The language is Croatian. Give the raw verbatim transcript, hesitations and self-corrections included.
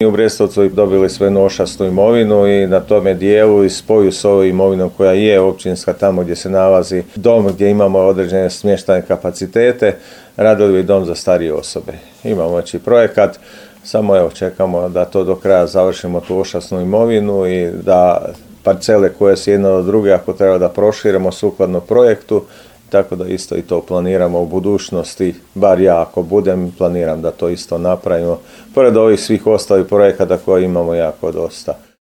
U Brestovcu dobili sve nošasnu imovinu i na tome dijelu i spoju s ovom imovinom koja je općinska tamo gdje se nalazi dom gdje imamo određene smještajne kapacitete, radili bi dom za starije osobe. Imamo znači projekat, samo evo čekamo da to do kraja završimo tu ošasnu imovinu i da parcele koje su jedna od druge ako treba da proširimo sukladno projektu, tako da isto i to planiramo u budućnosti, bar ja ako budem planiram da to isto napravimo, pored ovih svih ostalih projekata koje imamo jako dosta.